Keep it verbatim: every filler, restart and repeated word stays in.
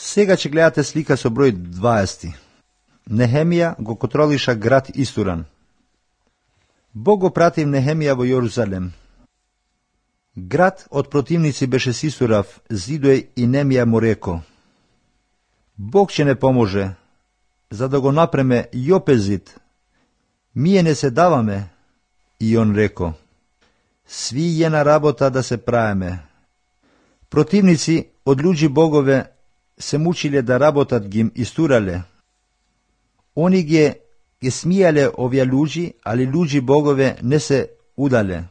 Сега ќе гледате слика со број дваесет. Нехемија го контролиша град Истуран. Бог го пратив Нехемија во Јерусалем. Град од противници беше сисурав, зидој и Немија му реко: Бог ќе не поможе, за да го напреме Јопе зид. Мие не се даваме. И он реко: Сви е на работа да се праеме. Противници од луѓи богове се мучиле да работат, ги истурале. Они ги, ги смијале овие луѓи, али луѓи богове не се удале.